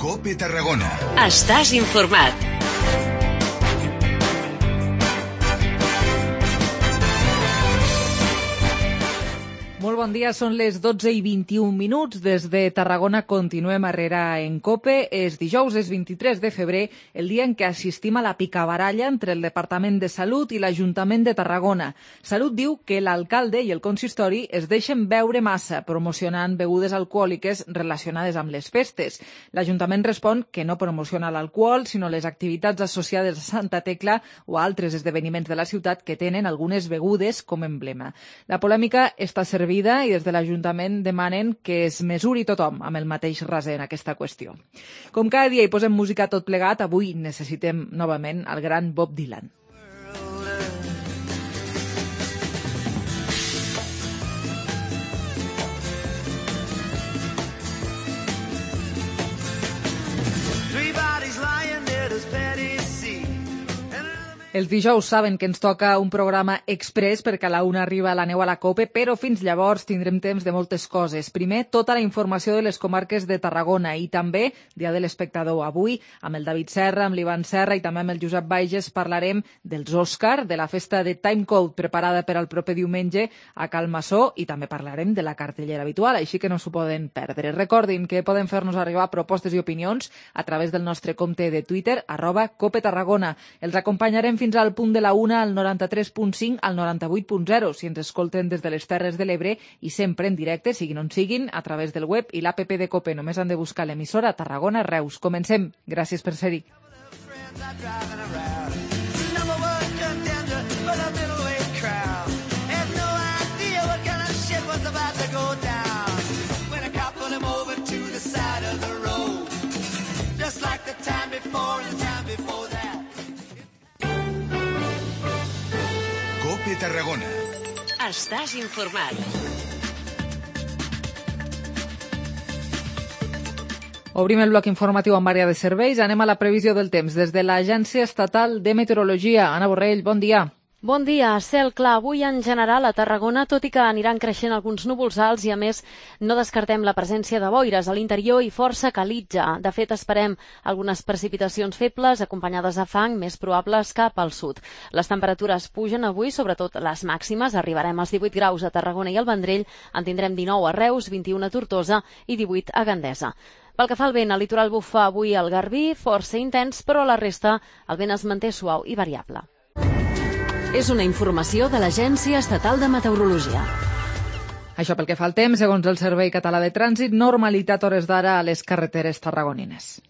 COPE Tarragona. Estàs informat. Molt bon dia, són les 12:21. Des de Tarragona continuem arrere en COPE. És dijous, és 23 de febrer, el dia en què assistim a la picabaralla entre el Departament de Salut i l'Ajuntament de Tarragona. Salut diu que l'alcalde i el consistori es deixen beure massa, promocionant begudes alcohòliques relacionades amb les festes. L'Ajuntament respon que no promociona l'alcohol, sinó les activitats associades a Santa Tecla o a altres esdeveniments de la ciutat que tenen algunes begudes com a emblema. La polèmica està servida i des de l'Ajuntament demanen que es mesuri tothom amb el mateix raser en aquesta qüestió. Com cada dia hi posem música tot plegat, avui necessitem novament el gran Bob Dylan. Els dijous saben que ens toca un programa express perquè a la una arriba la neu a la COPE, però fins llavors tindrem temps de moltes coses. Primer, tota la informació de les comarques de Tarragona i també Dia de l'Espectador. Avui, amb el David Serra, amb l'Ivan Serra i també amb el Josep Baiges parlarem dels Òscar, de la festa de Timecode preparada per al proper diumenge a Cal Massó i també parlarem de la cartellera habitual, així que no s'ho poden perdre. Recordin que poden fer-nos arribar propostes i opinions a través del nostre compte de Twitter, @COPETarragona. Els acompanyarem fins al punt de la una al 93.5 al 98.0 si ens escolten des de les Terres de l'Ebre i sempre en directe, siguin on siguin, a través del web i l'app de COPE. Només han de buscar l'emissora Tarragona Reus. Comencem. Gràcies per ser-hi. COPE Tarragona. Estàs informat. Obrim el bloc informatiu amb àrea de serveis. Anem a la previsió del temps des de l'Agència Estatal de Meteorologia. Anna Borrell, bon dia. Bon dia. Cel clar avui en general a Tarragona, tot i que aniran creixent alguns núvols alts i, a més, no descartem la presència de boires a l'interior i força calitja. De fet, esperem algunes precipitacions febles acompanyades de fang més probables cap al sud. Les temperatures pugen avui, sobretot les màximes. Arribarem als 18 graus a Tarragona i al Vendrell, en tindrem 19 a Reus, 21 a Tortosa i 18 a Gandesa. Pel que fa al vent, el litoral bufa avui al Garbí, força intens, però a la resta el vent es manté suau i variable. És una informació de l'Agència Estatal de Meteorologia. Això pel que fa al temps, segons el Servei Català de Trànsit, normalitat a hores d'ara a les carreteres tarragonines.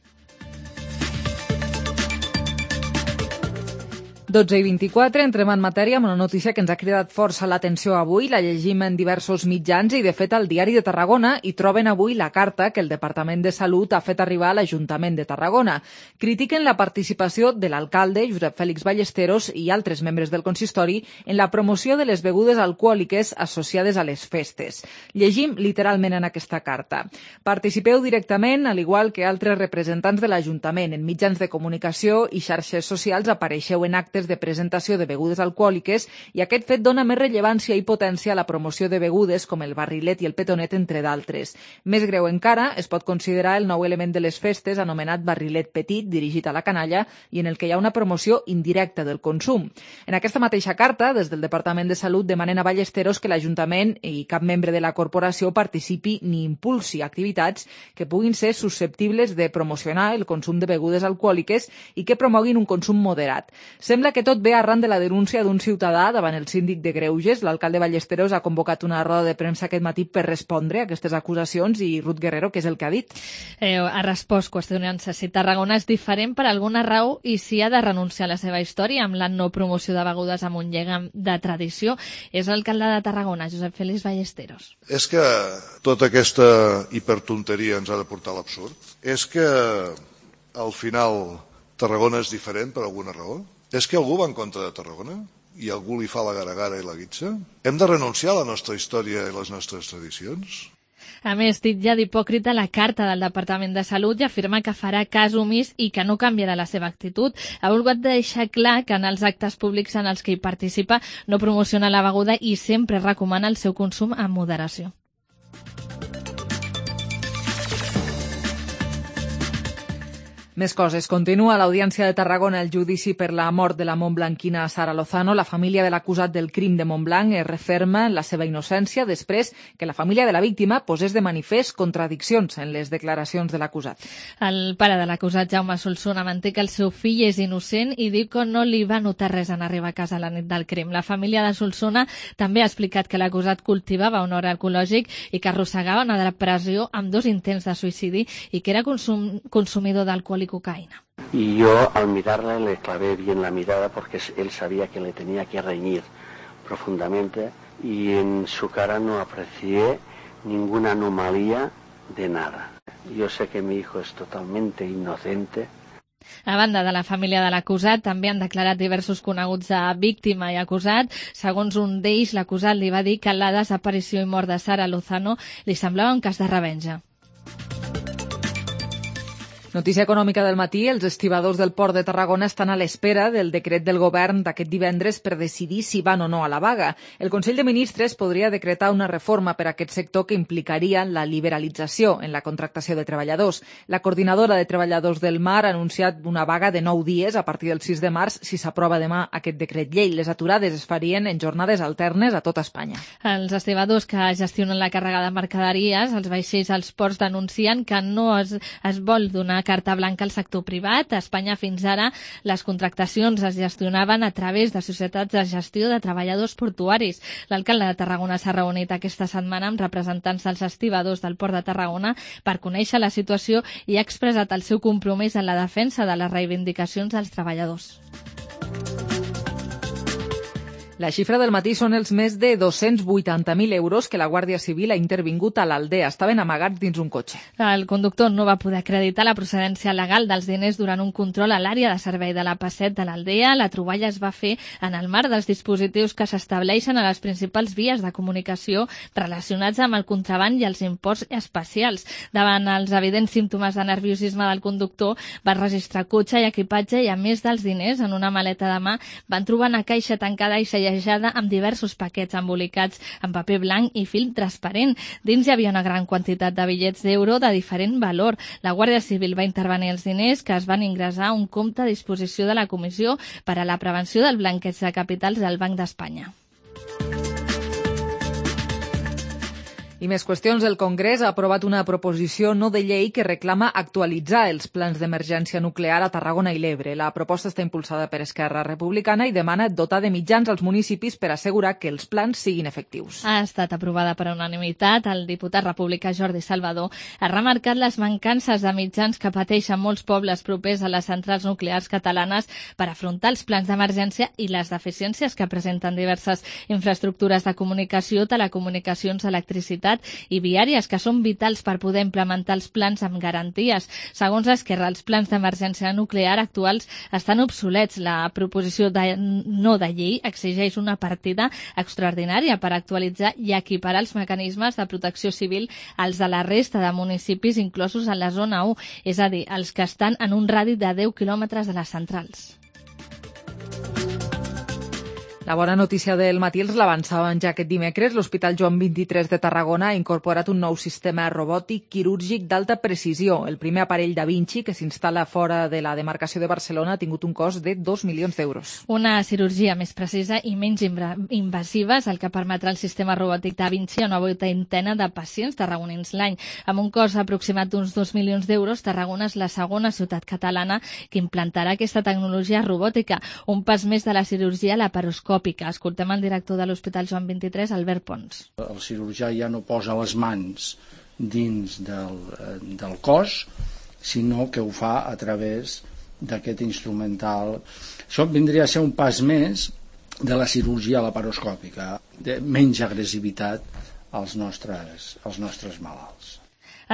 12:24, entrem en matèria amb una notícia que ens ha cridat força l'atenció avui. La llegim en diversos mitjans i, de fet, al Diari de Tarragona hi troben avui la carta que el Departament de Salut ha fet arribar a l'Ajuntament de Tarragona. Critiquen la participació de l'alcalde, Josep Fèlix Ballesteros, i altres membres del consistori en la promoció de les begudes alcohòliques associades a les festes. Llegim literalment en aquesta carta. Participeu directament, al igual que altres representants de l'Ajuntament. En mitjans de comunicació i xarxes socials apareixeu en actes de presentació de begudes alcohòliques i aquest fet dona més rellevància i potència a la promoció de begudes com el barrilet i el petonet, entre d'altres. Més greu encara es pot considerar el nou element de les festes anomenat barrilet petit, dirigit a la canalla i en el que hi ha una promoció indirecta del consum. En aquesta mateixa carta, des del Departament de Salut demanen a Ballesteros que l'Ajuntament i cap membre de la corporació participi ni impulsi activitats que puguin ser susceptibles de promocionar el consum de begudes alcohòliques i que promoguin un consum moderat. Sembla que tot ve arran de la denúncia d'un ciutadà davant el síndic de Greuges. L'alcalde Ballesteros ha convocat una roda de premsa aquest matí per respondre a aquestes acusacions i Ruth Guerrero, què és el que ha dit? Ha respost qüestionant-se si Tarragona és diferent per alguna raó i si ha de renunciar a la seva història amb la no promoció de begudes amb un lligam de tradició. És l'alcalde de Tarragona, Josep Fèlix Ballesteros. És que tota aquesta hipertonteria ens ha de portar a l'absurd? És que al final Tarragona és diferent per alguna raó? És que algú va en contra de Tarragona? I algú li fa la gara-gara i la guitza? Hem de renunciar a la nostra història i les nostres tradicions? A més, titlla d'hipòcrita la carta del Departament de Salut i afirma que farà cas omís i que no canviarà la seva actitud. Ha volgut deixar clar que en els actes públics en els que hi participa no promociona la beguda i sempre recomana el seu consum amb moderació. Més coses. Continua a l'Audiència de Tarragona el judici per la mort de la montblanquina Sara Lozano. La família de l'acusat del crim de Montblanc es referma en la seva innocència després que la família de la víctima posés de manifest contradiccions en les declaracions de l'acusat. El pare de l'acusat, Jaume Solsona, manté que el seu fill és innocent i diu que no li va notar res en arribar a casa la nit del crim. La família de Solsona també ha explicat que l'acusat cultivava un hort ecològic i que arrossegava una depressió amb 2 intents de suïcidi i que era consumidor d'alcohol y cocaína. Y yo al mirarle le clavé bien la mirada porque él sabía que le tenía que reñir profundamente y en su cara no aprecié ninguna anomalía de nada. Yo sé que mi hijo es totalmente inocente. A banda de la família de l'acusat, també han declarat diversos coneguts de víctima i acusat. Segons un d'ells, l'acusat li va dir que la desaparició i mort de Sara Lozano li semblava un cas de revenja. Notícia econòmica del matí. Els estibadors del Port de Tarragona estan a l'espera del decret del govern d'aquest divendres per decidir si van o no a la vaga. El Consell de Ministres podria decretar una reforma per a aquest sector que implicaria la liberalització en la contractació de treballadors. La coordinadora de treballadors del mar ha anunciat una vaga de 9 dies a partir del 6 de març si s'aprova demà aquest decret llei. Les aturades es farien en jornades alternes a tota Espanya. Els estibadors que gestionen la càrrega de mercaderies, els vaixells als ports, denuncien que no es vol donar carta blanca al sector privat. A Espanya fins ara les contractacions es gestionaven a través de societats de gestió de treballadors portuaris. L'alcalde de Tarragona s'ha reunit aquesta setmana amb representants dels estibadors del Port de Tarragona per conèixer la situació i ha expressat el seu compromís en la defensa de les reivindicacions dels treballadors. La xifra del matí són els més de 280.000 euros que la Guàrdia Civil ha intervingut a l'Aldea. Estaven amagats dins un cotxe. El conductor no va poder acreditar la procedència legal dels diners durant un control a l'àrea de servei de la P7 de l'Aldea. La troballa es va fer en el marc dels dispositius que s'estableixen a les principals vies de comunicació relacionats amb el contraban i els imports especials. Davant els evidents símptomes de nerviosisme del conductor, va registrar cotxe i equipatge i, a més dels diners, en una maleta de mà van trobar una caixa tancada i sellejada amb diversos paquets embolicats amb paper blanc i film transparent. Dins hi havia una gran quantitat de bitllets d'euro de diferent valor. La Guàrdia Civil va intervenir els diners que es van ingressar a un compte a disposició de la Comissió per a la Prevenció del Blanqueig de Capitals del Banc d'Espanya. I més qüestions. El Congrés ha aprovat una proposició no de llei que reclama actualitzar els plans d'emergència nuclear a Tarragona i l'Ebre. La proposta està impulsada per Esquerra Republicana i demana dotar de mitjans als municipis per assegurar que els plans siguin efectius. Ha estat aprovada per unanimitat. El diputat republicà Jordi Salvador ha remarcat les mancances de mitjans que pateixen molts pobles propers a les centrals nuclears catalanes per afrontar els plans d'emergència i les deficiències que presenten diverses infraestructures de comunicació, telecomunicacions, electricitat i viàries, que són vitals per poder implementar els plans amb garanties. Segons Esquerra, els plans d'emergència nuclear actuals estan obsolets. La proposició no de llei exigeix una partida extraordinària per actualitzar i equiparar els mecanismes de protecció civil als de la resta de municipis inclosos en la zona 1, és a dir, els que estan en un radi de 10 quilòmetres de les centrals. La bona notícia del matí els l'avançaven ja aquest dimecres. L'Hospital Joan 23 de Tarragona ha incorporat un nou sistema robòtic quirúrgic d'alta precisió. El primer aparell Da Vinci, que s'instal·la fora de la demarcació de Barcelona, ha tingut un cost de 2 milions d'euros. Una cirurgia més precisa i menys invasiva és el que permetrà el sistema robòtic Da Vinci a una vuitantena de pacients tarragonins l'any. Amb un cost aproximat d'uns 2 milions d'euros, Tarragona és la segona ciutat catalana que implantarà aquesta tecnologia robòtica, un pas més de la cirurgia laparoscòpica. Escoltem el director de l'Hospital Joan 23, Albert Pons. El cirurgià ja no posa les mans dins del cos, sinó que ho fa a través d'aquest instrumental. Això vindria a ser un pas més de la cirurgia laparoscòpica, de menys agressivitat als nostres malalts.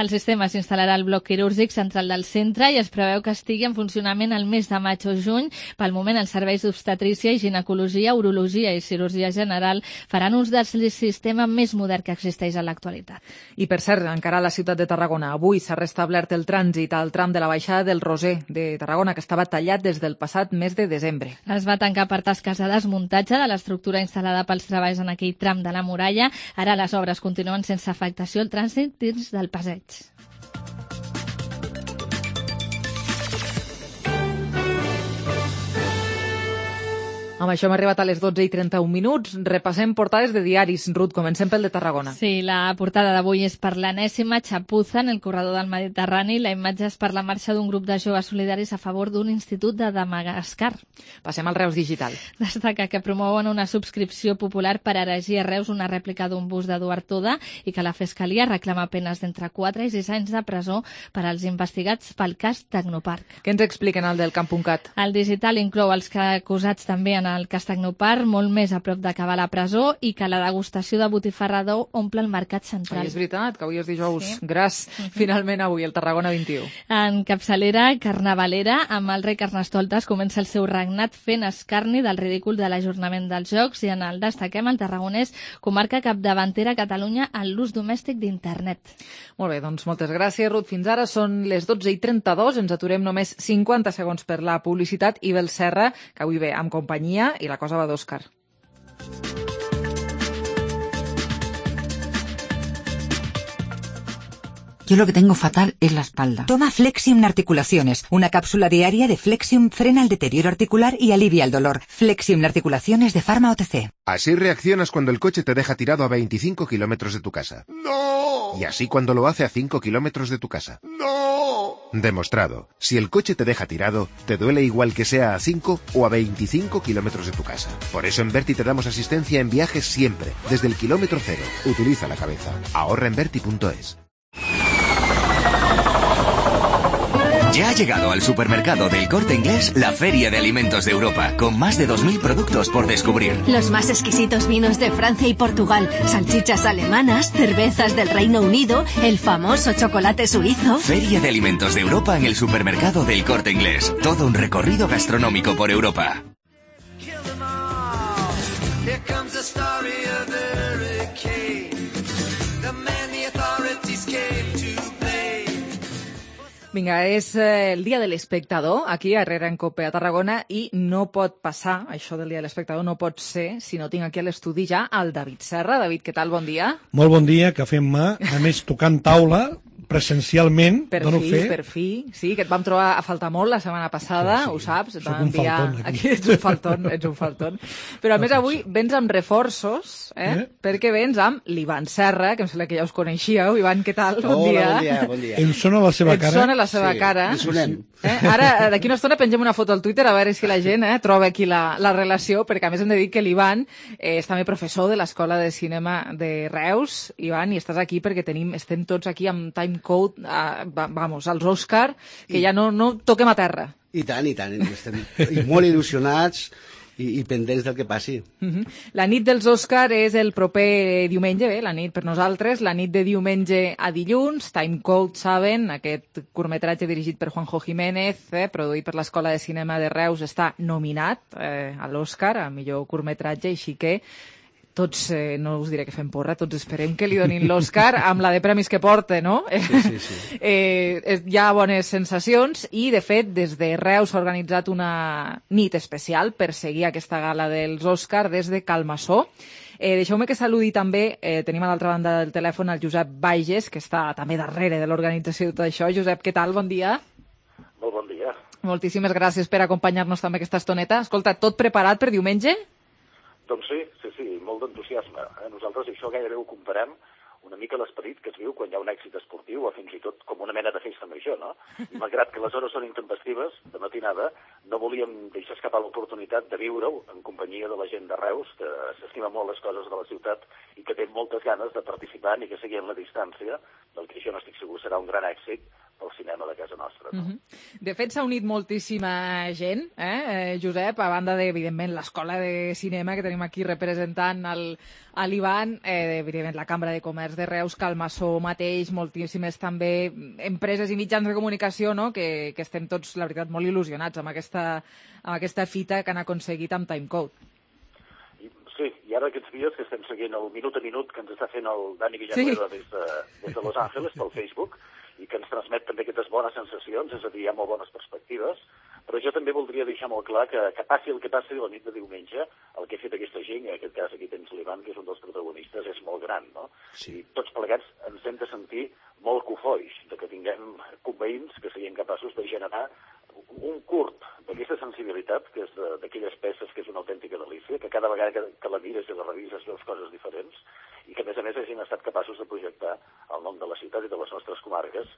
El sistema s'instal·larà al bloc quirúrgic central del centre i es preveu que estigui en funcionament el mes de maig o juny. Pel moment, els serveis d'obstetrícia i ginecologia, urologia i cirurgia general faran ús del sistema més modern que existeix en l'actualitat. I, per cert, encara a la ciutat de Tarragona, avui s'ha restablert el trànsit al tram de la baixada del Roser de Tarragona, que estava tallat des del passat mes de desembre. Es va tancar per tasques de desmuntatge de l'estructura instal·lada pels treballs en aquell tram de la muralla. Ara les obres continuen sense afectació al trànsit dins del passeig. Amb això hem arribat a les 12:31. Repassem portades de diaris. Ruth, comencem pel de Tarragona. Sí, la portada d'avui és per l'enèsima xapuza en el corredor del Mediterrani. La imatge és per la marxa d'un grup de joves solidaris a favor d'un institut de Madagascar. Passem al Reus Digital. Destaca que promouen una subscripció popular per erigir a Reus una rèplica d'un bust d'Eduard Toda i que la Fiscalia reclama penes d'entre 4 i 6 anys de presó per als investigats pel cas Tecnoparc. Què ens expliquen al del Camp.cat? El digital inclou els acusats també en el cas Tecnoparc, molt més a prop d'acabar la presó, i que la degustació de botifarra d'ou omple el mercat central. És veritat, que avui és dijous gras. Finalment avui, el Tarragona 21. En capçalera carnavalera, amb el rei Carnestoltes comença el seu regnat fent escarni del ridícul de l'ajornament dels Jocs, i en el destaquem el tarragonès, comarca capdavantera a Catalunya en l'ús domèstic d'internet. Molt bé, doncs moltes gràcies, Ruth. Fins ara són les 12:32. Ens aturem només 50 segons per la publicitat i Bel Serra, que avui ve amb companyia i la cosa va d'Òscar. Yo lo que tengo fatal es la espalda. Toma Flexium Articulaciones. Una cápsula diaria de Flexium frena el deterioro articular y alivia el dolor. Flexium Articulaciones de Pharma OTC. Así reaccionas cuando el coche te deja tirado a 25 kilómetros de tu casa. No! Y así cuando lo hace a 5 kilómetros de tu casa. No! Demostrado. Si el coche te deja tirado, te duele igual que sea a 5 o a 25 kilómetros de tu casa. Por eso en Berti te damos asistencia en viajes siempre, desde el kilómetro cero. Utiliza la cabeza. Ahorra en Berti.es. Ya ha llegado al supermercado del Corte Inglés la Feria de Alimentos de Europa, con más de 2.000 productos por descubrir. Los más exquisitos vinos de Francia y Portugal, salchichas alemanas, cervezas del Reino Unido, el famoso chocolate suizo. Feria de Alimentos de Europa en el supermercado del Corte Inglés. Todo un recorrido gastronómico por Europa. Vinga, és el dia de l'espectador, aquí a Herrera en Cope a Tarragona, i no pot passar, això del dia de l'espectador no pot ser, si no tinc aquí a l'estudi ja el David Serra. David, què tal? Bon dia. Molt bon dia, cafè en mà, a més tocant taula, presencialment, dono fe. Per fi, sí, que et vam trobar a faltar molt la setmana passada, sí, ho saps, et vam enviar... faltón, aquí ets un faltón. Però a més avui vens amb reforços, perquè vens amb l'Ivan Serra, que em sembla que ja us coneixíeu. Ivan, què tal? Bon dia. Bon dia. Em sona la seva cara. Et sona la seva cara. Ens sonem. Ara, d'aquí una estona pengem una foto al Twitter a veure si la gent troba aquí la relació, perquè a més hem de dir que l'Ivan és també professor de l'Escola de Cinema de Reus. Ivan, i estàs aquí perquè estem tots aquí amb timecode, als Òscar, que ja no toquem a terra. I tant, estem molt il·lusionats i pendents del que passi. La nit dels Òscar és el proper diumenge, la nit per nosaltres, la nit de diumenge a dilluns. Timecode, saben, aquest curtmetratge dirigit per Juanjo Jiménez, produït per l'Escola de Cinema de Reus, està nominat a l'Òscar, a millor curtmetratge, així que tots, no us diré que fem porra, tots esperem que li donin l'Òscar amb la de premis que porta, no? Sí. Hi ha bones sensacions i, de fet, des de Reus s'ha organitzat una nit especial per seguir aquesta gala dels Òscar des de Calmassó. Deixeu-me que saludi també, tenim a l'altra banda del telèfon el Josep Bages, que està també darrere de l'organització de tot això. Josep, què tal? Bon dia. Molt bon dia. Moltíssimes gràcies per acompanyar-nos també aquesta estoneta. Escolta, tot preparat per diumenge? Doncs sí, molt d'entusiasme. Nosaltres això gairebé ho comparem una mica l'esperit que es viu quan hi ha un èxit esportiu o fins i tot com una mena de festa major, no? I malgrat que les hores són intempestives, de matinada, no volíem deixar escapar l'oportunitat de viure-ho en companyia de la gent de Reus, que s'estima molt les coses de la ciutat i que té moltes ganes de participar ni que sigui en la distància, del que jo no estic segur serà un gran èxit pel cinema de casa nostra. No? De fet, s'ha unit moltíssima gent, Josep, a banda de, evidentment, l'Escola de Cinema que tenim aquí representant l'Ivan, evidentment la Cambra de Comerç de Reus, Calmassó mateix, moltíssimes també empreses i mitjans de comunicació, no? que estem tots, la veritat, molt il·lusionats amb aquesta fita que han aconseguit amb Timecode. Sí, i ara aquests dies que estem seguint el minut a minut que ens està fent el Dani Villanueva des de Los Angeles pel Facebook, i que ens transmet també aquestes bones sensacions, és a dir, hi ha molt bones perspectives, però jo també voldria deixar molt clar que passi el que passi la nit de diumenge, el que ha fet aquesta gent, en aquest cas aquí tens l'Ivan, que és un dels protagonistes, és molt gran, no? Sí. I tots plegats ens hem de sentir molt cofois, de que tinguem conveïns que siguin capaços de generar un curt d'aquesta sensibilitat, que és d'aquelles peces que és una autèntica delícia, que cada vegada que la mires i la revises veus coses diferents, i que a més hagin estat capaços de projectar el nom de la ciutat i de les nostres comarques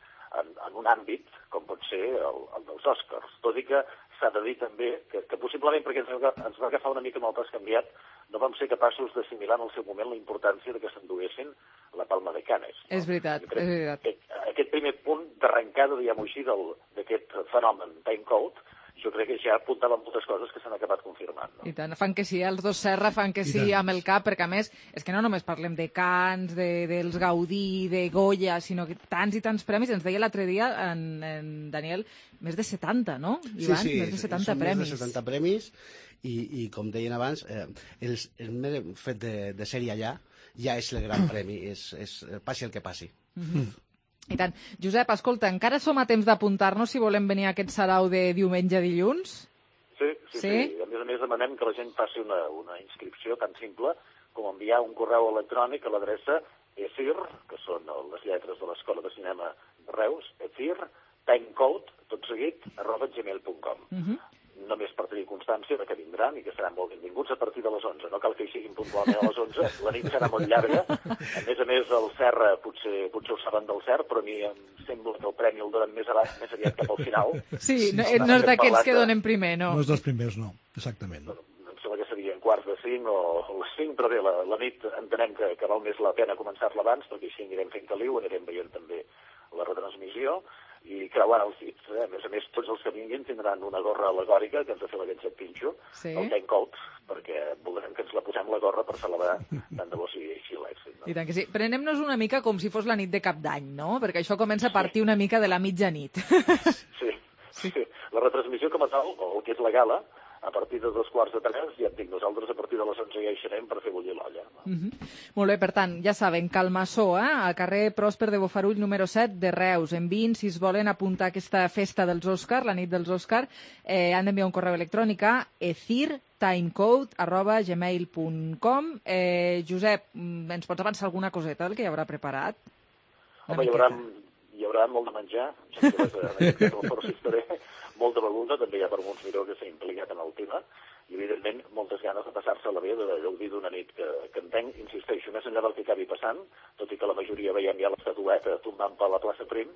en un àmbit com pot ser el dels Oscars. Tot i que s'ha de dir també que possiblement, perquè ens va agafar una mica amb el pas canviat, no vam ser capaços d'assimilar en el seu moment la importància que s'enduguessin la Palma de Canes. No? És veritat, és veritat. Aquest primer punt d'arrencada, diguem-ho així, d'aquest fenomen Timecode, jo crec que ja apuntava moltes coses que s'han acabat confirmant. No? I tant, fan que sí, els dos Serra fan que sí amb el cap, perquè a més, és que no només parlem de Cans, dels Gaudí, de Goya, sinó que tants i tants premis, ens deia l'altre dia en Daniel, més de 70, no, Ivan? Sí, més de 70 premis. Més de 70 premis, i com deien abans, el mer fet de ser allà ja és el gran premi, passi el que passi. I tant. Josep, escolta, encara som a temps d'apuntar-nos si volem venir a aquest sarau de diumenge a dilluns? Sí. A més demanem que la gent faci una inscripció tan simple com enviar un correu electrònic a l'adreça ECIR, que són les lletres de l'Escola de Cinema de Reus, ECIR, timecode, tot seguit, @gmail.com. Només per tenir constància que vindran i que seran molt benvinguts a partir de les 11. No cal que hi siguin puntualment a les 11, la nit serà molt llarga. A més, el Serra, potser ho saben del Cert, però a mi em sembla que el premi el donen més aviat cap al final. Sí, no és d'aquells que donen primer, no? No és dels primers, no, exactament. Em sembla que serien quarts de 5 o les 5, però bé, la nit entenem que val més la pena començar-la abans, perquè així anirem fent caliu, anirem veient també la retransmissió, i creuant els dits. A més, tots els que vinguin tindran una gorra al·legòrica que ens ha fet aquest Pinxo, el Timecode, perquè voldrem que ens la posem la gorra per celebrar tant de bo sigui així l'èxit. No? I tant que sí. Prenem-nos una mica com si fos la nit de Cap d'Any, no? Perquè això comença a partir una mica de la mitjanit. Sí. La retransmissió com a tal, o el que és la gala, a partir de 2:15, ja et dic, nosaltres a partir de les 11 ja hi serem per fer bullir l'olla. No? Molt bé, per tant, ja saben, Calmassó, al carrer Pròsper de Bofarull número 7 de Reus. Enviïn, si es volen apuntar a aquesta festa dels Òscar, la nit dels Òscar, han d'enviar un correu electrònic a ecirtimecode@gmail.com. Josep, ens pots avançar alguna coseta del que hi haurà preparat? Home, hi haurà molt de menjar, en aquest cas el Força Historia, molta beguda, també hi ha per molts Miró que s'ha implicat en el tema, i evidentment moltes ganes de passar-se-la bé, de gaudir d'una nit que entenc, insisteixo, més enllà del que acabi passant, tot i que la majoria veiem ja l'estatueta tombant per la plaça Prim,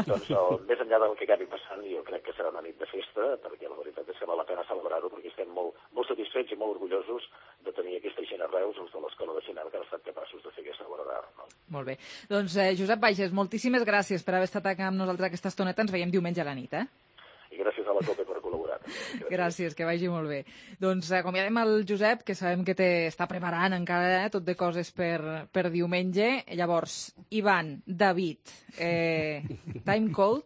doncs més enllà del que acabi passant jo crec que serà una nit de festa, perquè la veritat és que val la pena celebrar-ho, perquè estem molt satisfets i molt orgullosos de tenir aquesta gent a Reus, els de l'Escola de Cinema, que han estat capaços de fer aquesta obra d'art. No? Molt bé. Doncs Josep Bages, moltíssimes gràcies per haver estat amb nosaltres aquesta estoneta. Ens veiem diumenge a la nit, I gràcies a la COPE per col·laborar. Gràcies, que vagi molt bé. Doncs acomiadem el Josep, que sabem que està preparant encara tot de coses per diumenge. Llavors, Ivan, David, Timecode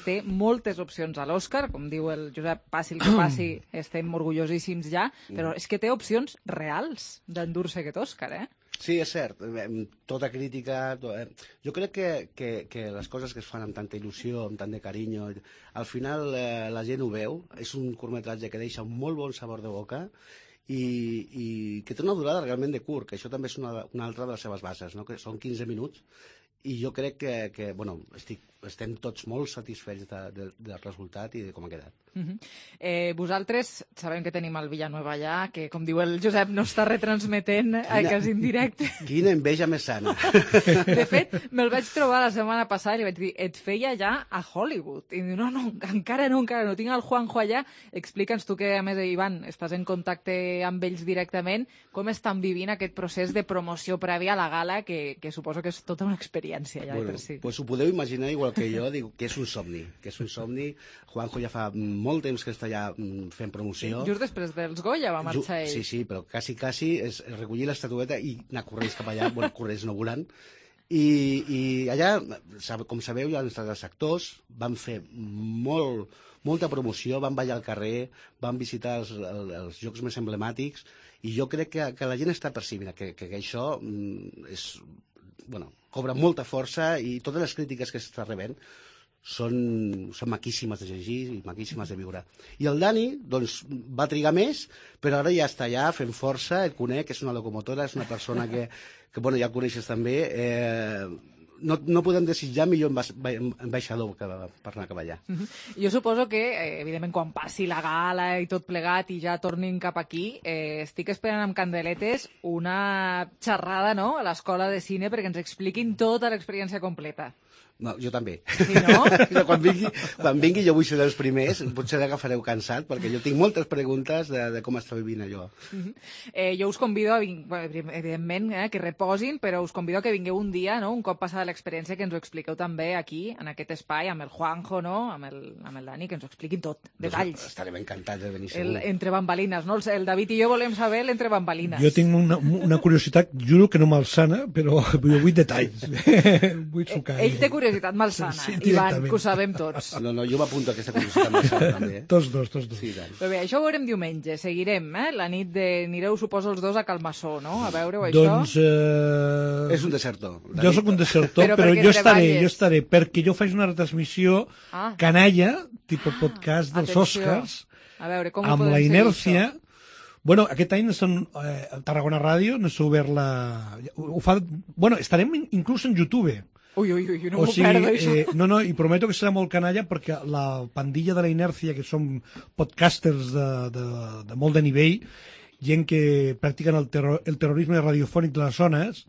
té moltes opcions a l'Òscar, com diu el Josep, passi el que passi, estem orgullosíssims ja, però és que té opcions reals d'endur-se aquest Òscar, Sí, és cert. Tota crítica... Jo crec que les coses que es fan amb tanta il·lusió, amb tant de carinyo, al final la gent ho veu. És un curtmetratge que deixa un molt bon sabor de boca i que té una durada realment de curt, que això també és una altra de les seves bases, no? Que són 15 minuts, i jo crec que bueno, estem tots molt satisfets del resultat i de com ha quedat. Vosaltres sabem que tenim el Villanueva allà, que com diu el Josep no està retransmetent quasi en directe. Quina enveja més sana. De fet, me'l vaig trobar la setmana passada i li vaig dir, et feia ja a Hollywood. I diu, no, encara no, tinc el Juanjo allà. Explica'ns tu que, a més, Ivan, estàs en contacte amb ells directament, com estan vivint aquest procés de promoció prèvia a la gala, que suposo que és tota una experiència ja per si. Pues ho podeu imaginar igual que jo, dic que és un somni, Juanjo ja fa molt temps que està allà fent promoció. Just després dels Goya va marxar ell. Sí, però quasi és recollir l'estatueta i anar corrents cap allà, corrents no volant. I allà, com sabeu, hi ha els actors, van fer molta promoció, van ballar al carrer, van visitar els llocs més emblemàtics, i jo crec que la gent està percibint que això cobra molta força, i totes les crítiques que s'està rebent són maquíssimes de llegir i maquíssimes de viure. I el Dani, doncs, va trigar més, però ara ja està allà fent força, et conec, és una locomotora, és una persona que ja el coneixes també, no podem desitjar millor ambaixador per anar cap allà. Jo suposo que, evidentment, quan passi la gala i tot plegat i ja tornin cap aquí, estic esperant amb candeletes una xerrada, no?, a l'escola de cine perquè ens expliquin tota l'experiència completa. No, jo també. Sí, no? Quan vingui jo vull ser dels primers, potser l'agafareu cansat, perquè jo tinc moltes preguntes de com està vivint allò. Jo us convido, evidentment, que reposin, però us convido a que vingueu un dia, no?, un cop passada l'experiència, que ens ho expliqueu també aquí, en aquest espai, amb el Juanjo, no?, amb el Dani, que ens ho expliquin tot, detalls. Estarem encantats de venir segur. Entre bambalines, no? El David i jo volem saber l'entre bambalines. Jo tinc una curiositat, juro que no malsana, però jo vull detalls. Vull sucar. Ell té curiositat malsana, sí, Ivan, que ho sabem tots. No, jo m'apunto a aquesta curiositat malsana també. Tots dos. Sí, però bé, això ho veurem diumenge, seguirem, la nit anireu, suposo, els dos a Calmassó, no?, a veure-ho, això. Doncs... És un desertor. Jo sóc un desertor, però jo estaré, perquè jo faig una retransmissió canalla, tipus podcast dels Oscars, amb la inèrcia. Bueno, aquest any Tarragona Ràdio no s'ha obert la... Bueno, estarem inclús en YouTube. Ui, no m'ho perdo, això. No, i prometo que serà molt canalla perquè la pandilla de la inèrcia, que som podcasters de molt de nivell, gent que practiquen el terrorisme radiofònic de les zones,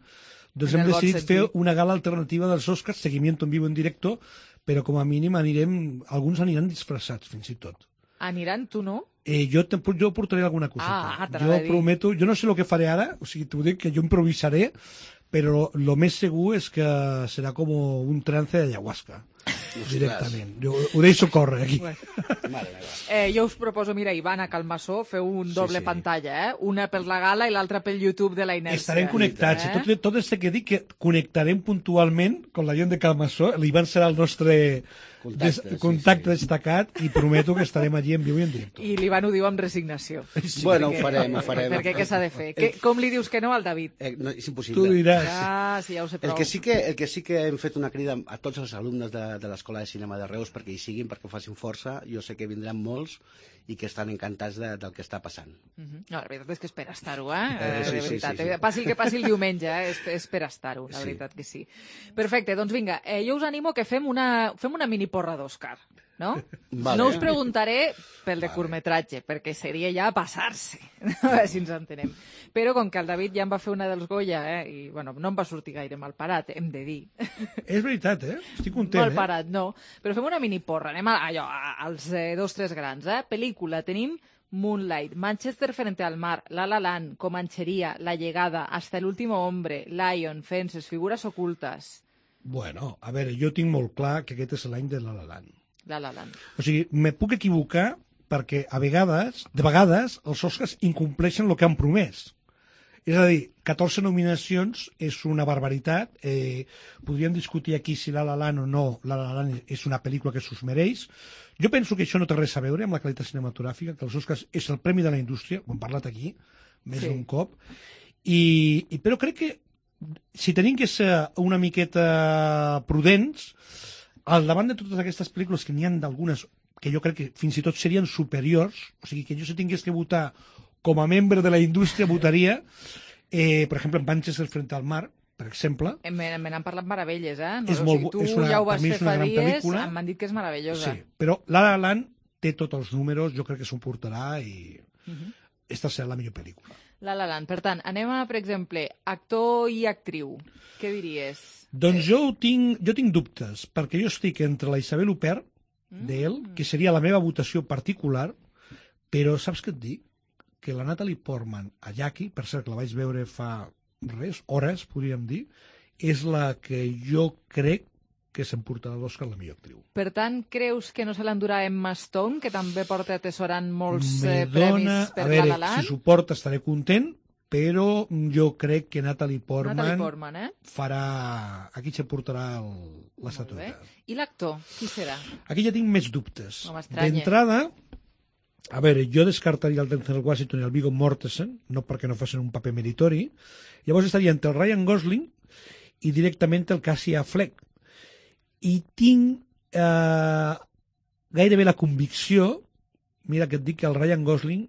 doncs hem decidit fer una gala alternativa dels Oscars, seguimiento en vivo en directo, però com a mínim alguns aniran disfressats, fins i tot. Aniran, tu no? Jo portaré alguna coseta. Jo prometo, jo no sé el que faré ara, o sigui, t'ho dic que jo improvisaré, però lo més segur és que serà com un trance d'ayahuasca, directament. Ho deixo córrer aquí. Jo us proposo, mira, Ivan, a Calmassó, feu un doble pantalla, una per la gala i l'altra pel YouTube de la inèrcia. Estarem connectats. Tot és que dic que connectarem puntualment amb la gent de Calmassó. L'Ivan serà el nostre contacte destacat i prometo que estarem allí en viu i en directe. I l'Ivan ho diu amb resignació. Bueno, ho farem. Perquè què s'ha de fer? Com li dius que no al David? No, és impossible. Tu diràs. Sí, ja ho sé prou. El que sí que hem fet una crida a tots els alumnes de l'Escola de Cinema de Reus perquè hi siguin, perquè ho facin força. Jo sé que vindran molts i que estan encantats del que està passant. No, la veritat és que és per estar-ho, de veritat. Passi el que passi el diumenge, és per estar-ho, la veritat que sí. Perfecte, doncs vinga, jo us animo que fem una mini porra d'Òscar, no? Vale. No us preguntaré pel de curtmetratge, perquè seria ja passar-se, a veure si ens entenem. Però com que el David ja em va fer una dels Goya, i bueno, no em va sortir gaire mal parat, hem de dir. És veritat, estic content. Mal parat, no. Però fem una mini porra, anem als 2-3 grans, Pel·lícula, tenim Moonlight, Manchester frente al mar, La La Land, Comanchería, La Llegada, Hasta el último hombre, Lion, Fences, Figuras ocultes. Bueno, a veure, jo tinc molt clar que aquest és l'any de La La Land. La La Land. O sigui, me puc equivocar perquè de vegades els Oscars incompleixen el que han promès. És a dir, 14 nominacions és una barbaritat. Podríem discutir aquí si La La Land o no La La Land és una pel·lícula que s'ho mereix. Jo penso que això no té res a veure amb la qualitat cinematogràfica, que els Oscars és el premi de la indústria, ho hem parlat aquí més d'un cop, però crec que si tenim que ser una miqueta prudents, al davant de totes aquestes pel·lícules, que n'hi ha d'algunes que jo crec que fins i tot serien superiors, o sigui que jo si tingués que votar com a membre de la indústria votaria, per exemple, en Manchester frente al mar, per exemple. Me n'han parlat meravelles, no? És molt, tu és una, ja ho vas fer fa dies, pel·lícula. m'han dit que és meravellosa. Sí, però La La Land té tots els números, jo crec que s'ho portarà i esta serà la millor pel·lícula. La La Land. Per tant, anem a, per exemple, actor i actriu. Què diries? Doncs jo tinc dubtes, perquè jo estic entre la Isabel Huppert, d'ell, que seria la meva votació particular, però saps què et dic? Que la Natalie Portman a Jackie, per cert, que la vaig veure fa hores, podríem dir, és la que jo crec que s'emportarà l'Oscar la millor actriu. Per tant, creus que no se l'endurà Emma Stone, que també porta atesorant molts premis per La La Land? Si s'ho porta estaré content, però jo crec que Natalie Portman farà... Aquí s'emportarà l'estatueta. I l'actor, qui serà? Aquí ja tinc més dubtes. D'entrada, a veure, jo descartaria el Denzel Washington i el Viggo Mortensen, no perquè no facin un paper meritori. Llavors estaria entre el Ryan Gosling i directament el Casey Affleck. I tinc gairebé la convicció, mira que et dic que el Ryan Gosling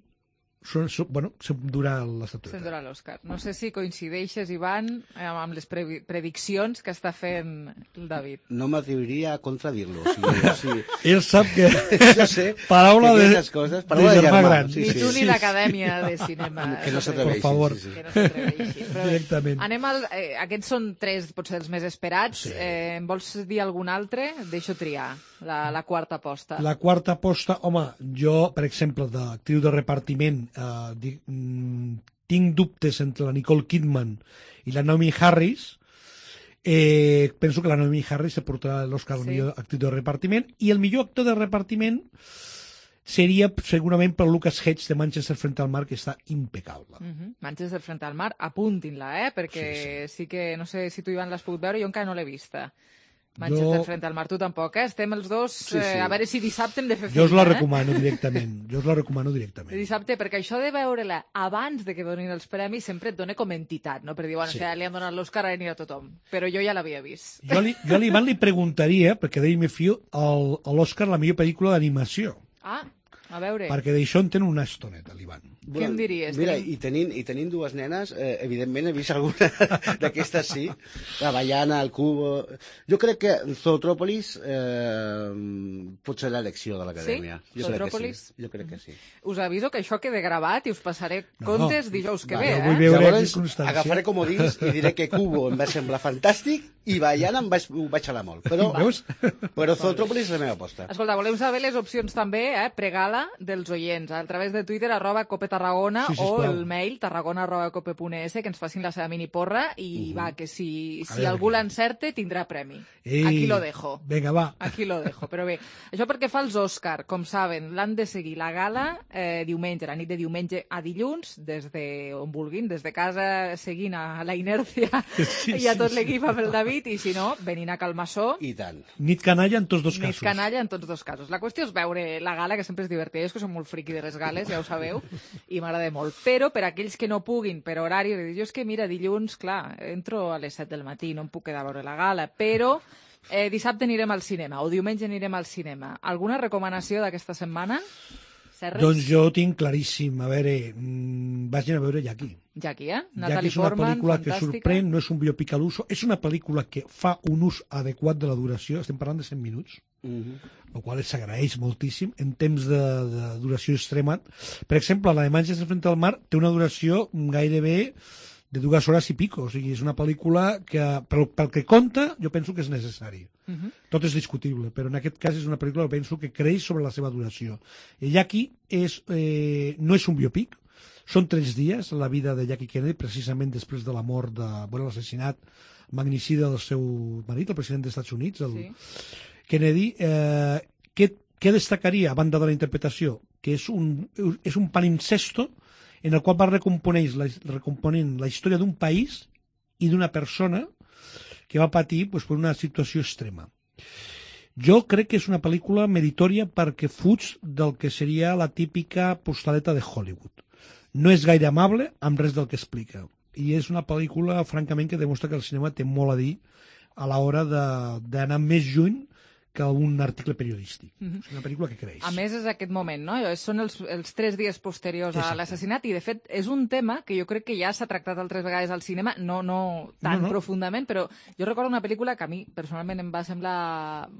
s'endurà l'estatueta. S'endurà l'Òscar. No sé si coincideixes, Ivan, amb les prediccions que està fent el David. No m'atreviria a contradir-lo. Ell sap que... Jo sé paraula que de germà gran. Ni tu ni l'Acadèmia de Cinema. Que no s'atreveixin. Per favor. Que no s'atreveixin. Directament. Anem aquests són 3, potser els més esperats. Sí. Em vols dir algun altre? Deixo triar. La quarta aposta. La quarta aposta, home, jo, per exemple, d'actriu de repartiment, tinc dubtes entre la Nicole Kidman i la Naomi Harris. Penso que la Naomi Harris se portarà l'Oscar al millor actriu de repartiment, i el millor actor de repartiment seria segurament per Lucas Hedges de Manchester frente al mar, que està impecable. Manchester frente al mar, apuntin-la, perquè sí que, no sé si tu, Ivan, l'has pogut veure, jo encara no l'he vista. Manchester frente al mar, tu tampoc, Estem els dos, a veure si dissabte hem de fer feina. Jo us la recomano directament. Dissabte, perquè això de veure-la abans de que donin els premis sempre et dona com entitat, no? Per dir, bueno, li han donat l'Òscar, ara anirà tothom. Però jo ja l'havia vist. Jo a l'Ivan li preguntaria, perquè d'ell me fio, a l'Òscar la millor pel·lícula d'animació. A veure... Perquè d'això en tenen una estoneta, l'Ivan. Què em diries? Mira, i tenint dues nenes, evidentment he vist alguna d'aquestes, sí. La Baiana, el Cubo... Jo crec que Zootrópolis pot ser l'elecció de l'Acadèmia. Sí? Zootrópolis? Jo crec que sí. Us aviso que això quede gravat i us passaré comptes dijous que ve, Llavors agafaré comodins i diré que Cubo em va semblar fantàstic i Baiana ho vaig xalar molt. Però Zootrópolis és la meva aposta. Escolta, volem saber les opcions també, pregala dels oients, a través de Twitter, @copetarragona, o el mail tarragona@cope.es, que ens facin la seva mini porra i va, que si algú l'encerte tindrà premi. Aquí lo dejo. Vinga, va. Aquí lo dejo. Però bé, això perquè fa els Òscar, com saben, l'han de seguir la gala diumenge, la nit de diumenge a dilluns, des d'on vulguin, des de casa, seguint a la inèrcia i a tot l'equip amb el David, i si no, venint a Calmassó. I tant. Nit canalla en tots dos casos. Nit canalla en tots dos casos. La qüestió és veure la gala, que sempre és divertida. Jo és que som molt friqui de les gales, ja ho sabeu, i m'agrada molt. Però per aquells que no puguin, per horari, jo és que, mira, dilluns, clar, entro a les 7 del matí, no em puc quedar a veure la gala, però dissabte anirem al cinema, o diumenge anirem al cinema. Alguna recomanació d'aquesta setmana? Serres? Doncs jo tinc claríssim. A veure, vagin a veure Jackie. Jackie, Natalie Portman, fantàstica. Jackie és una pel·lícula que sorprèn, no és un biopic a l'uso, és una pel·lícula que fa un ús adequat de la duració, estem parlant de 100 minuts, el qual s'agraeix moltíssim, en temps de duració extrema. Per exemple, la de Manchester frente al mar té una duració gairebé de 2 hores i pico, o sigui, és una pel·lícula que, pel que compta, jo penso que és necessari. Tot és discutible, però en aquest cas és una pel·lícula que penso que creix sobre la seva duració. Jackie no és un biopic, són 3 dies la vida de Jackie Kennedy, precisament després de la mort, l'assassinat magnicida del seu marit, el president dels Estats Units, el Kennedy. Què destacaria, a banda de la interpretació? Que és un palincesto en el qual va recomponent la història d'un país i d'una persona que va patir per una situació extrema. Jo crec que és una pel·lícula meritòria perquè fuig del que seria la típica postaleta de Hollywood. No és gaire amable amb res del que explica. I és una pel·lícula, francament, que demostra que el cinema té molt a dir a l'hora d'anar més lluny que un article periodístic. És una pel·lícula que creix. A més, és aquest moment, no? Són els 3 dies posteriors a l'assassinat, i de fet és un tema que jo crec que ja s'ha tractat altres vegades al cinema, no tan profundament, però jo recordo una pel·lícula que a mi personalment em va semblar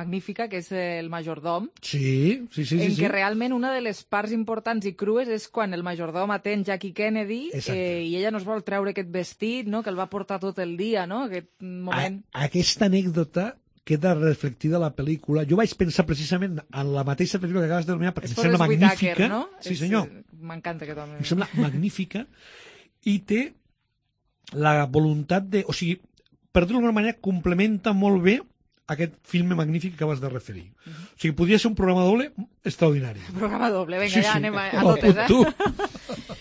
magnífica, que és El majordom, en què realment una de les parts importants i crues és quan el majordom atén Jackie Kennedy i ella no es vol treure aquest vestit, no?, que el va portar tot el dia, no?, aquest moment. Aquesta anècdota queda reflectida a la pel·lícula. Jo vaig pensar precisament en la mateixa pel·lícula que acabes de denominar, perquè em sembla magnífica. No? Sí, senyor. M'encanta aquest home. Em sembla magnífica i té la voluntat de... O sigui, per dir-ho d'alguna manera, complementa molt bé aquest film magnífic que acabes de referir. O sigui, podria ser un programa doble extraordinari. Programa doble, vinga, ja anem a totes,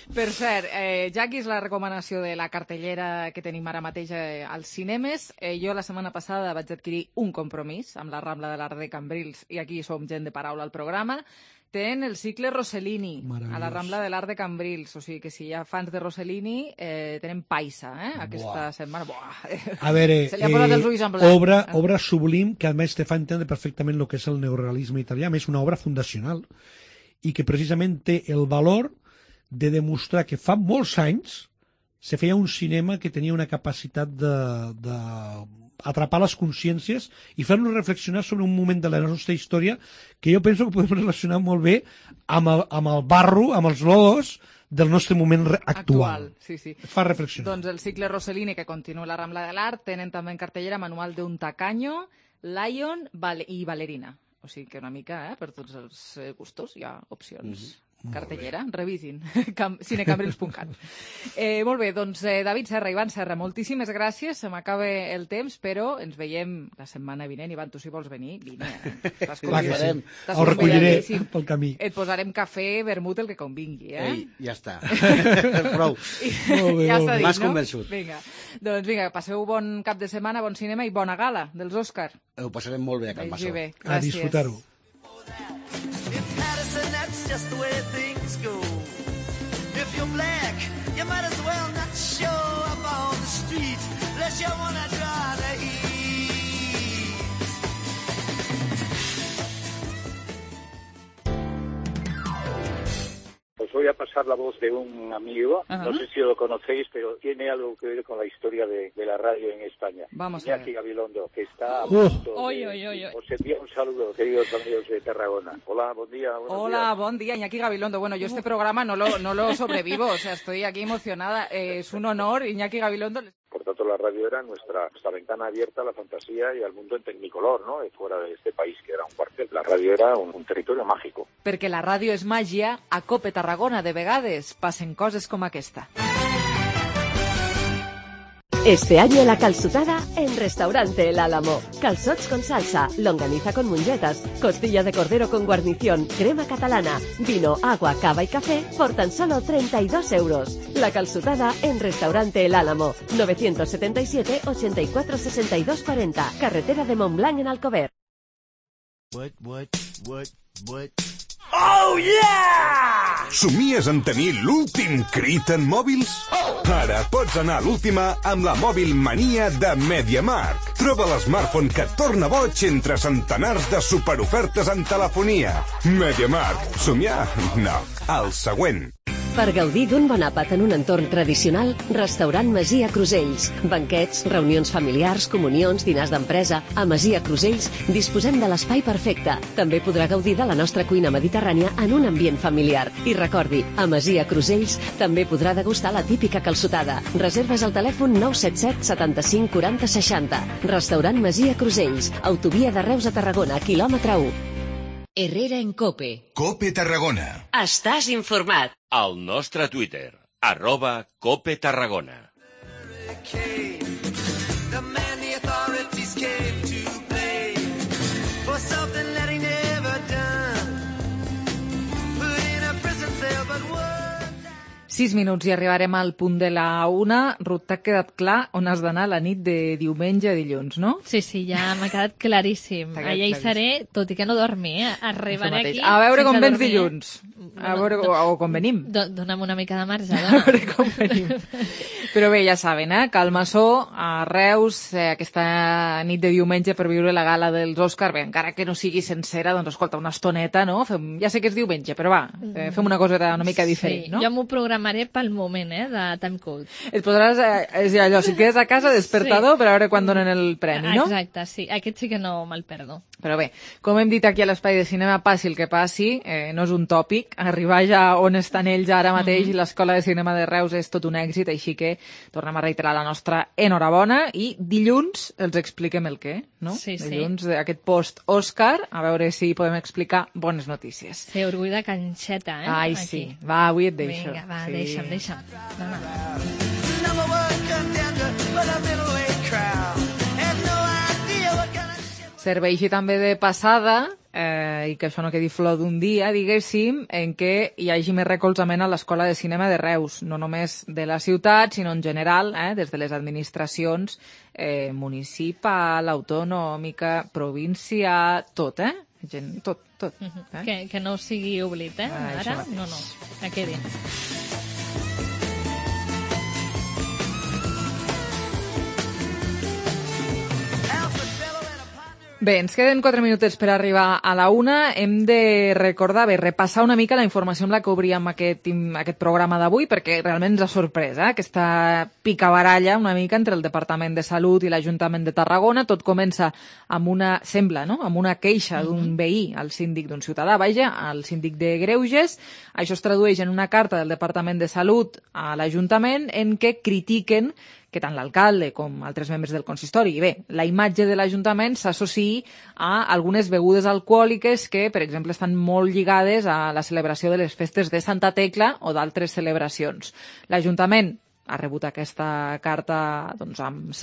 Per cert, Jackie és la recomanació de la cartellera que tenim ara mateix als cinemes. Jo la setmana passada vaig adquirir un compromís amb la Rambla de l'Art de Cambrils, i aquí som gent de paraula al programa. Tenen el cicle Rossellini a la Rambla de l'Art de Cambrils, o sigui que si hi ha fans de Rossellini tenen paisa aquesta setmana. A veure, se li ha posat els ulls en blanc. Obra sublim que a més te fa entendre perfectament el que és el neorealisme italià, a més una obra fundacional i que precisament té el valor de demostrar que fa molts anys se feia un cinema que tenia una capacitat d'atrapar les consciències i fer-nos reflexionar sobre un moment de la nostra història que jo penso que podem relacionar molt bé amb el barro, amb els lodos del nostre moment actual. Sí, sí. Fa reflexionar. Doncs el cicle Rossellini, que continua la Rambla de l'Art, tenen també en cartellera Manual de un tacaño, Lion i Ballerina. O sigui que una mica, per tots els gustos, hi ha opcions. Cartellera, revisin, cinecambrils.cat. Molt bé, doncs David Serra, Ivan Serra, moltíssimes gràcies, se m'acaba el temps, però ens veiem la setmana vinent. Ivan, tu si vols venir, vine. Clar que sí, ho recolliré pel camí. Et posarem cafè, vermut, el que convingui, Ei, ja està. Prou. Ja està dit, M'has no? convençut. Vinga, doncs vinga, passeu bon cap de setmana, bon cinema i bona gala dels Òscar. Ho passarem molt bé a Can Massó. A disfrutar-ho. Madison, that's just the way things go. If you're black, you might as well not show up on the street unless you wanna draw the heat. Os voy a pasar la voz de un amigo, no sé si lo conocéis, pero tiene algo que ver con la historia de la radio en España. Vamos a ver. Iñaki Gabilondo, que está a punto Oy. Os envío un saludo, queridos amigos de Tarragona. Hola, buen día. Hola, buen día, Iñaki Gabilondo. Bueno, yo este programa no lo sobrevivo, o sea, estoy aquí emocionada. Es un honor, Iñaki Gabilondo. Por tanto, la radio era nuestra ventana abierta a la fantasía y al mundo en tecnicolor, ¿no? Fuera de este país, que era un cuartel. La radio era un territorio mágico. Perquè la ràdio és màgia, a Cope Tarragona de vegades passen coses com aquesta. Este año la calçotada en Restaurante El Álamo. Calzots con salsa, longaniza con mungetas, costilla de cordero con guarnición, crema catalana, vino, agua, cava y café por tan solo 32 euros. La calçotada en Restaurante El Álamo. 977 84 62 40. Carretera de Montblanc en Alcover. Oh, yeah! Somies en tenir l'últim crit en mòbils? Ara pots anar a l'última amb la Mòbil Mania de MediaMarkt. Troba l'smartphone que et torna boig entre centenars de superofertes en telefonia. MediaMarkt. Somiar? No. El següent. Per gaudir d'un bon àpat en un entorn tradicional, Restaurant Masia Crusells. Banquets, reunions familiars, comunions, dinars d'empresa. A Masia Crusells disposem de l'espai perfecte. També podrà gaudir de la nostra cuina mediterrània en un ambient familiar. I recordi, a Masia Crusells també podrà degustar la típica calçotada. Reserves al telèfon 977 75 40 60. Restaurant Masia Crusells. Autovia de Reus a Tarragona, quilòmetre 1. Herrera en Cope. Cope Tarragona. Estàs informat. Al nostre Twitter, @CopeTarragona. The man the authorities came to blame for something that he never done. Put in a prison cell, but what? 6 minuts i arribarem al punt de la 1. Ruth, t'ha quedat clar on has d'anar la nit de diumenge a dilluns, no? Sí, ja m'ha quedat claríssim. Allà hi seré, tot i que no dormi, Arribaré aquí... A veure com vens dilluns. A veure, o com venim. Dóna'm una mica de marge, A veure com venim. Però bé, ja saben, que al Massó, a Reus, aquesta nit de diumenge per viure la gala dels Òscar, bé, encara que no sigui sencera, doncs escolta, una estoneta, no? Ja sé que és diumenge, però va, fem una cosa una mica diferent, no? Jo m'ho programaré pel moment, de Time Code. Et podràs, és allò, si et quedes a casa, despertador, per a veure quan donen el premi, no? Exacte, sí. Aquest sí que no me'l perdo. Però bé, com hem dit aquí a l'Espai de Cinema, passi el que passi, no és un tòpic, arribar ja on estan ells ara mateix i l'Escola de Cinema de Reus és tot un èxit, així que tornem a reiterar la nostra enhorabona i dilluns els expliquem el què, no? Sí. Dilluns, aquest post-Òscar, a veure si podem explicar bones notícies. Sí, orgull de canxeta, Ai, aquí. sí. Va, avui et deixo. Vinga, va, sí. deixa'm. Va. Number one contender for the middleweight crowd. Have no idea what kind of shit. Serveixi també de passada, i que això no quedi flor d'un dia, diguéssim, en què hi hagi més recolzament a l'Escola de Cinema de Reus, no només de la ciutat, sinó en general, des de les administracions municipal, autonòmica, província, tot, tot. Que no sigui oblit, ara? No, que quedi. Bé, ens queden 4 minutets per arribar a la 1. Hem de recordar, repassar una mica la informació amb la que obríem aquest programa d'avui, perquè realment ens ha sorprès, aquesta picabaralla una mica entre el Departament de Salut i l'Ajuntament de Tarragona. Tot comença amb amb una queixa d'un veí al síndic, d'un ciutadà, al síndic de Greuges. Això es tradueix en una carta del Departament de Salut a l'Ajuntament en què critiquen que tant l'alcalde com altres membres del consistori i la imatge de l'Ajuntament s'associï a algunes begudes alcohòliques que, per exemple, estan molt lligades a la celebració de les festes de Santa Tecla o d'altres celebracions. L'Ajuntament ha rebut aquesta carta amb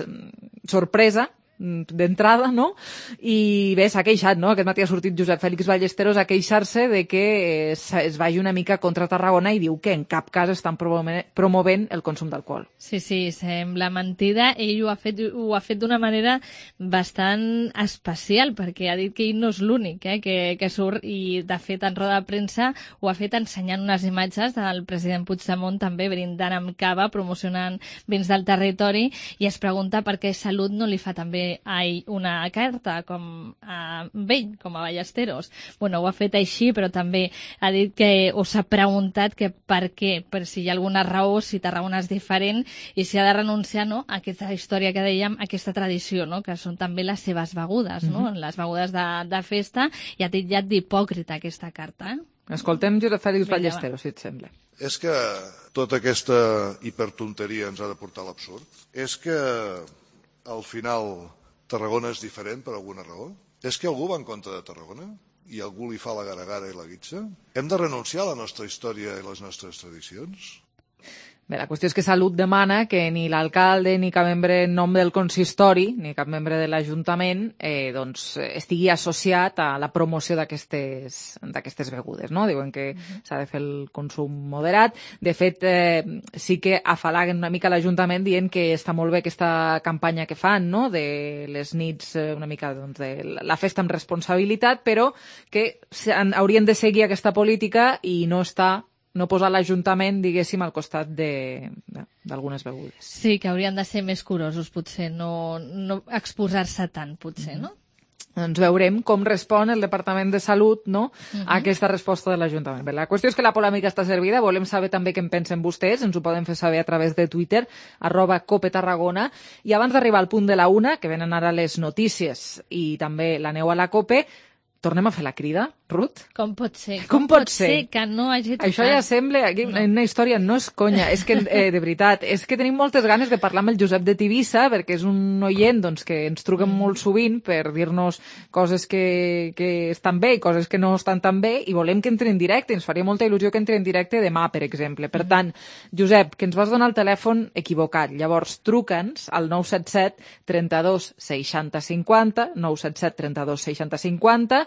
sorpresa, d'entrada, no? I bé, s'ha queixat, no? Aquest matí ha sortit Josep Fèlix Ballesteros a queixar-se de que es vagi una mica contra Tarragona i diu que en cap cas estan promovent el consum d'alcohol. Sí, sembla mentida. Ell ho ha fet d'una manera bastant especial, perquè ha dit que ell no és l'únic que surt, i de fet en roda de premsa ho ha fet ensenyant unes imatges del president Puigdemont també brindant amb cava, promocionant vins del territori, i es pregunta per què Salut no li fa també una carta com a Ballesteros. Bueno, ho ha fet així, però també ha dit que s'ha preguntat que per què, per si hi ha alguna raó, si Tarragona és diferent i si ha de renunciar a aquesta història que dèiem, aquesta tradició, que són també les seves begudes, les begudes de festa, i ha titllat d'hipòcrita aquesta carta. Escoltem Josep Fèlix Ballesteros, si et sembla. És que tota aquesta hipertonteria ens ha de portar a l'absurd? És que al final Tarragona és diferent per alguna raó? És que algú va en contra de Tarragona? I algú li fa la gara-gara i la guitza? Hem de renunciar a la nostra història i les nostres tradicions? Bé, la qüestió és que Salut demana que ni l'alcalde ni cap membre en nom del consistori ni cap membre de l'Ajuntament estigui associat a la promoció d'aquestes begudes, no? Diuen que s'ha de fer el consum moderat. De fet, sí que afalaguen una mica l'Ajuntament dient que està molt bé aquesta campanya que fan, no?, de les nits, una mica de la festa amb responsabilitat, però que haurien de seguir aquesta política i no posar l'Ajuntament, diguéssim, al costat d'algunes begudes. Sí, que haurien de ser més curosos, potser, no exposar-se tant, potser, no? Doncs veurem com respon el Departament de Salut, no?, a aquesta resposta de l'Ajuntament. Bé, la qüestió és que la polèmica està servida, volem saber també què en pensen vostès, ens ho poden fer saber a través de Twitter, @COPETarragona, i abans d'arribar al punt de la 1, que venen ara les notícies i també la neu a la COPE, tornem a fer la crida, Ruth? Com pot ser? Com pot ser que no hagi tocat? Això ja sembla una història, no és conya, és que, de veritat, és que tenim moltes ganes de parlar amb el Josep de Tivissa, perquè és un oient que ens truquen molt sovint per dir-nos coses que estan bé i coses que no estan tan bé, i volem que entri en directe, ens faria molta il·lusió que entri en directe demà, per exemple. Per tant, Josep, que ens vas donar el telèfon equivocat, llavors truca'ns al 977 32 60 50, 977 32 60 50,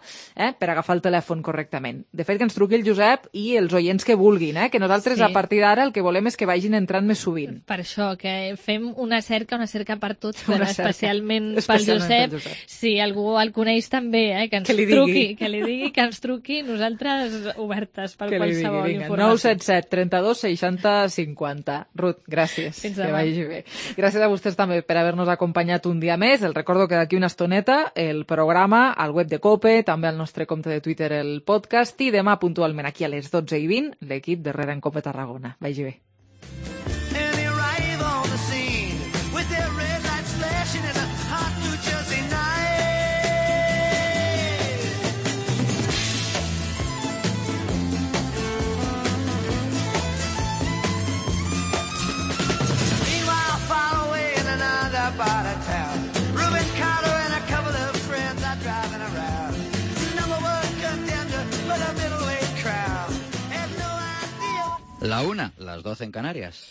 per agafar el telèfon correctament. De fet, que ens truqui el Josep i els oients que vulguin, que nosaltres a partir d'ara el que volem és que vagin entrant més sovint. Per això, que fem una cerca per tots, però especialment pel Josep. Si algú el coneix també, que ens truqui, que li digui, que ens truqui, nosaltres obertes per qualsevol informació. 977 32 60 50. Ruth, gràcies. Fins demà. Que vagi bé. Gràcies a vostès també per haver-nos acompanyat un dia més. El recordo que d'aquí una estoneta el programa al web de COPE, també al nostre compte de Twitter, el podcast, i demà puntualment aquí a les 12:20 l'equip de Rere en COPE Tarragona. Vagi bé. La 1, las 12 en Canarias.